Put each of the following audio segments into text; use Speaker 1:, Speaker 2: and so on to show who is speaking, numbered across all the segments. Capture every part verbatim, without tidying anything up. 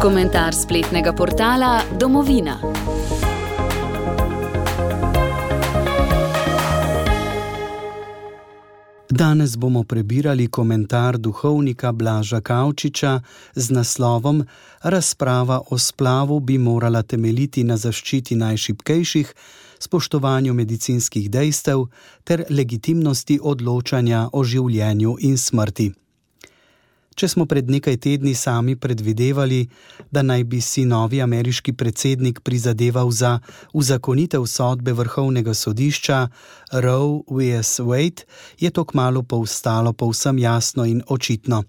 Speaker 1: Komentar spletnega portala Domovina.
Speaker 2: Danes bomo prebirali komentar duhovnika Blaža Kavčiča z naslovom Razprava o splavu bi morala temeljiti na zaščiti najšibkejših, spoštovanju medicinskih dejstev ter legitimnosti odločanja o življenju in smrti. Če smo pred nekaj tedni sami predvidevali, da naj bi si novi ameriški predsednik prizadeval za uzakonitev sodbe Vrhovnega sodišča Roe versus Wade, je to kmalu postalo povsem jasno in očitno.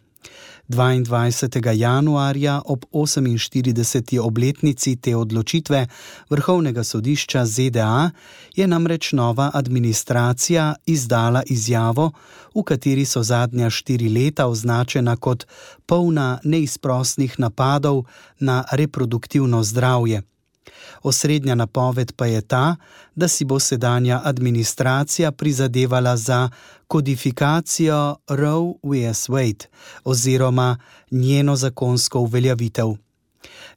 Speaker 2: dvaindvajsetega januarja ob oseminštirideseti obletnici te odločitve Vrhovnega sodišča Z D A je namreč nova administracija izdala izjavo, v kateri so zadnja štiri leta označena kot polna neizprosnih napadov na reproduktivno zdravje. Osrednja napoved pa je ta, da si bo sedanja administracija prizadevala za kodifikacijo Roe versus Wade oziroma njeno zakonsko uveljavitev.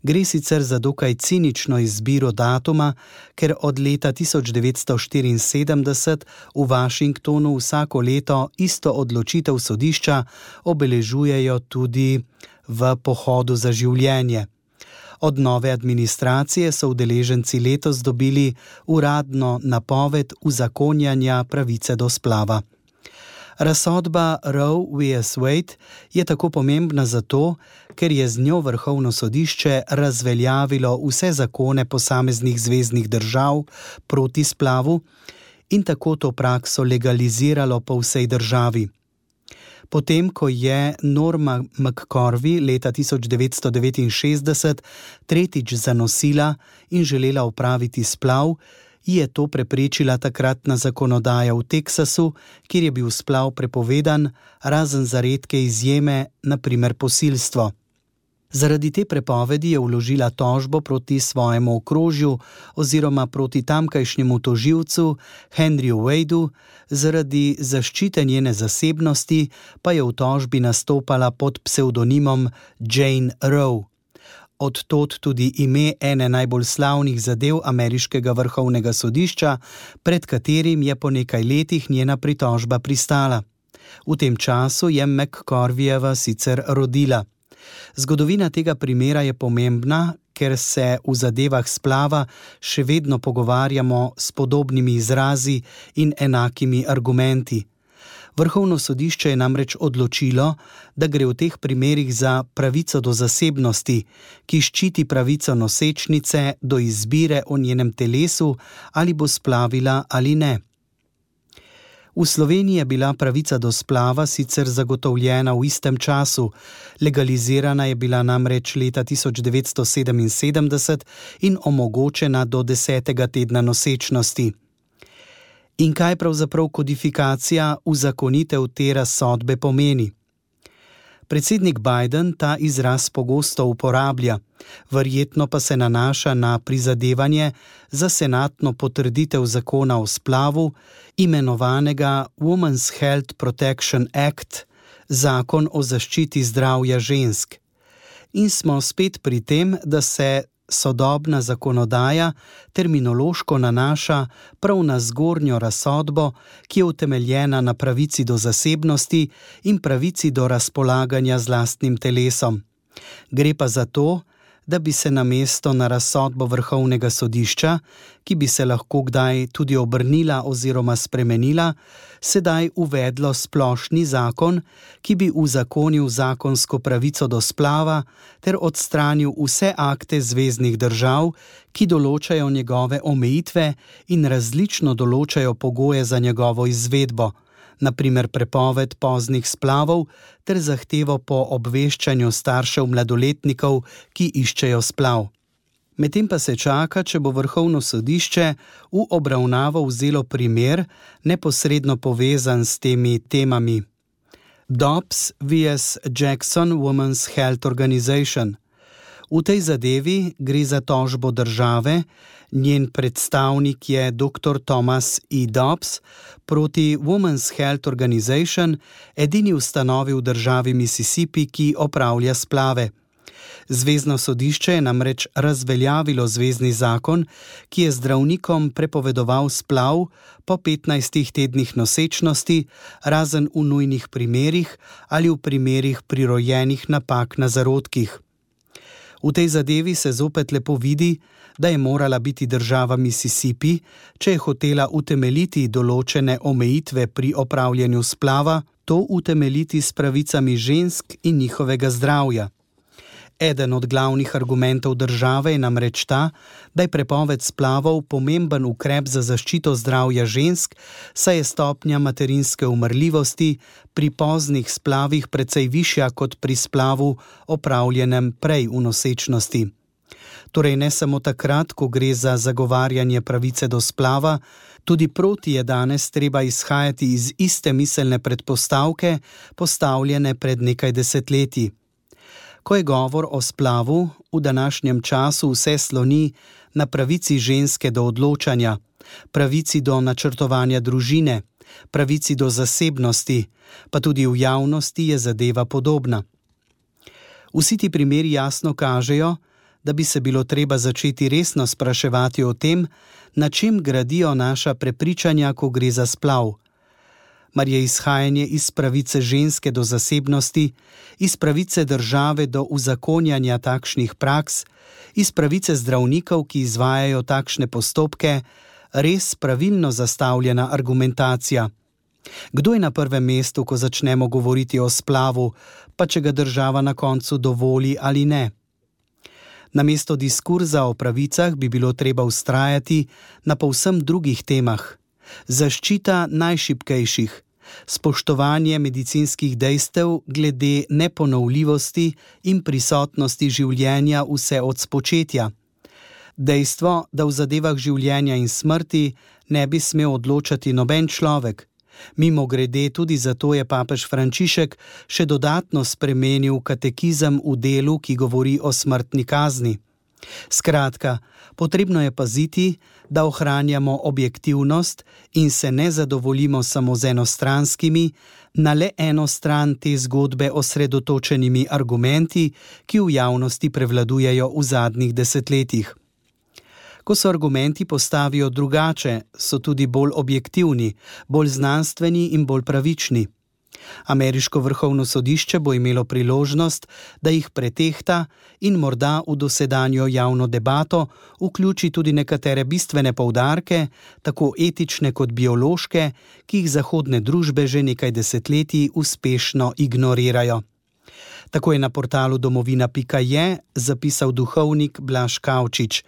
Speaker 2: Gre sicer za dokaj cinično izbiro datuma, ker od leta tisoč devetsto štiriinsedemdeset v Washingtonu vsako leto isto odločitev sodišča obeležujejo tudi v pohodu za življenje. Od nove administracije so udeleženci letos dobili uradno napoved uzakonjanja pravice do splava. Razsodba Roe versus Wade je tako pomembna zato, ker je z njo Vrhovno sodišče razveljavilo vse zakone posameznih zveznih držav proti splavu in tako to prakso legaliziralo po vsej državi. Potem, ko je Norma McCorvey leta tisoč devetsto devetinšestdeset tretjič zanosila in želela opraviti splav, je to preprečila takratna zakonodaja v Teksasu, kjer je bil splav prepovedan, razen za redke izjeme, na primer posilstvo. Zaradi te prepovedi je vložila tožbo proti svojemu okrožju oziroma proti tamkajšnjemu tožilcu Henryju Wadeu, zaradi zaščite njene zasebnosti pa je v tožbi nastopala pod psevdonimom Jane Roe. Od tod tudi ime ene najbolj slavnih zadev ameriškega vrhovnega sodišča, pred katerim je po nekaj letih njena pritožba pristala. V tem času je McCorveyjeva sicer rodila. Zgodovina tega primera je pomembna, ker se v zadevah splava še vedno pogovarjamo s podobnimi izrazi in enakimi argumenti. Vrhovno sodišče je namreč odločilo, da gre v teh primerih za pravico do zasebnosti, ki ščiti pravico nosečnice do izbire o njenem telesu, ali bo splavila ali ne. V Sloveniji je bila pravica do splava sicer zagotovljena v istem času, legalizirana je bila namreč leta tisoč devetsto sedeminsedemdeset in omogočena do desetega tedna nosečnosti. In kaj pravzaprav kodifikacija uzakonitev te razsodbe pomeni? Predsednik Biden ta izraz pogosto uporablja, verjetno pa se nanaša na prizadevanje za senatno potrditev zakona o splavu, imenovanega Women's Health Protection Act, zakon o zaščiti zdravja žensk. In smo spet pri tem, da se sodobna zakonodaja terminološko nanaša prav na zgornjo razsodbo, ki je utemeljena na pravici do zasebnosti in pravici do razpolaganja z lastnim telesom. Gre pa za to, da bi se namesto na razsodbo Vrhovnega sodišča, ki bi se lahko kdaj tudi obrnila oziroma spremenila, sedaj uvedlo splošni zakon, ki bi uzakonil zakonsko pravico do splava ter odstranil vse akte zveznih držav, ki določajo njegove omejitve in različno določajo pogoje za njegovo izvedbo, na primer prepoved poznih splavov ter zahtevo po obveščanju staršev mladoletnikov, ki iščejo splav. Medtem pa se čaka, če bo Vrhovno sodišče v obravnavo vzelo primer, neposredno povezan s temi temami. Dobbs versus Jackson Women's Health Organization. V tej zadevi gre za tožbo države, njen predstavnik je doktor Thomas E. Dobbs, proti Women's Health Organization, edini ustanovi v državi Mississippi, ki opravlja splave. Zvezno sodišče je namreč razveljavilo zvezni zakon, ki je zdravnikom prepovedoval splav po petnajstih tednih nosečnosti, razen v nujnih primerih ali v primerih prirojenih napak na zarodkih. V tej zadevi se zopet lepo vidi, da je morala biti država Mississippi, če je hotela utemeljiti določene omejitve pri opravljanju splava, to utemeljiti s pravicami žensk in njihovega zdravja. Eden od glavnih argumentov države je namreč ta, da je prepoved splavov pomemben ukrep za zaščito zdravja žensk, saj je stopnja materinske umrljivosti pri poznih splavih precej višja kot pri splavu opravljenem prej v nosečnosti. Torej ne samo takrat, ko gre za zagovarjanje pravice do splava, tudi proti je danes treba izhajati iz iste miselne predpostavke, postavljene pred nekaj desetletji. Ko je govor o splavu, v današnjem času vse sloni na pravici ženske do odločanja, pravici do načrtovanja družine, pravici do zasebnosti, pa tudi v javnosti je zadeva podobna. Vsi ti primeri jasno kažejo, da bi se bilo treba začeti resno spraševati o tem, na čem gradijo naša prepričanja, ko gre za splav. Mar je izhajanje iz pravice ženske do zasebnosti, iz pravice države do uzakonjanja takšnih praks, iz pravice zdravnikov, ki izvajajo takšne postopke, res pravilno zastavljena argumentacija. Kdo je na prvem mestu, ko začnemo govoriti o splavu, pa če ga država na koncu dovoli ali ne? Namesto diskurza o pravicah bi bilo treba vztrajati na povsem drugih temah. Zaščita najšibkejših, spoštovanje medicinskih dejstev glede neponovljivosti in prisotnosti življenja vse od spočetja. Dejstvo, da v zadevah življenja in smrti ne bi smel odločati noben človek. Mimogrede, tudi zato je papež Frančišek še dodatno spremenil katekizem v delu, ki govori o smrtni kazni. Skratka, potrebno je paziti, da ohranjamo objektivnost in se ne zadovoljimo samo z enostranskimi, na le eno stran te zgodbe osredotočenimi argumenti, ki v javnosti prevladujejo v zadnjih desetletjih. Ko se argumenti postavijo drugače, so tudi bolj objektivni, bolj znanstveni in bolj pravični. Ameriško vrhovno sodišče bo imelo priložnost, da jih pretehta in morda v dosedanjo javno debato vključi tudi nekatere bistvene poudarke, tako etične kot biološke, ki jih zahodne družbe že nekaj desetletij uspešno ignorirajo. Tako je na portalu domovina pika je zapisal duhovnik Blaž Kavčič.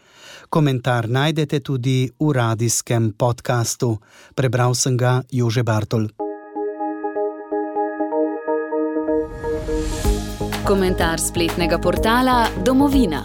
Speaker 2: Komentar najdete tudi v radijskem podkastu. Prebral sem ga Jože Bartol.
Speaker 1: Komentar spletnega portala Domovina.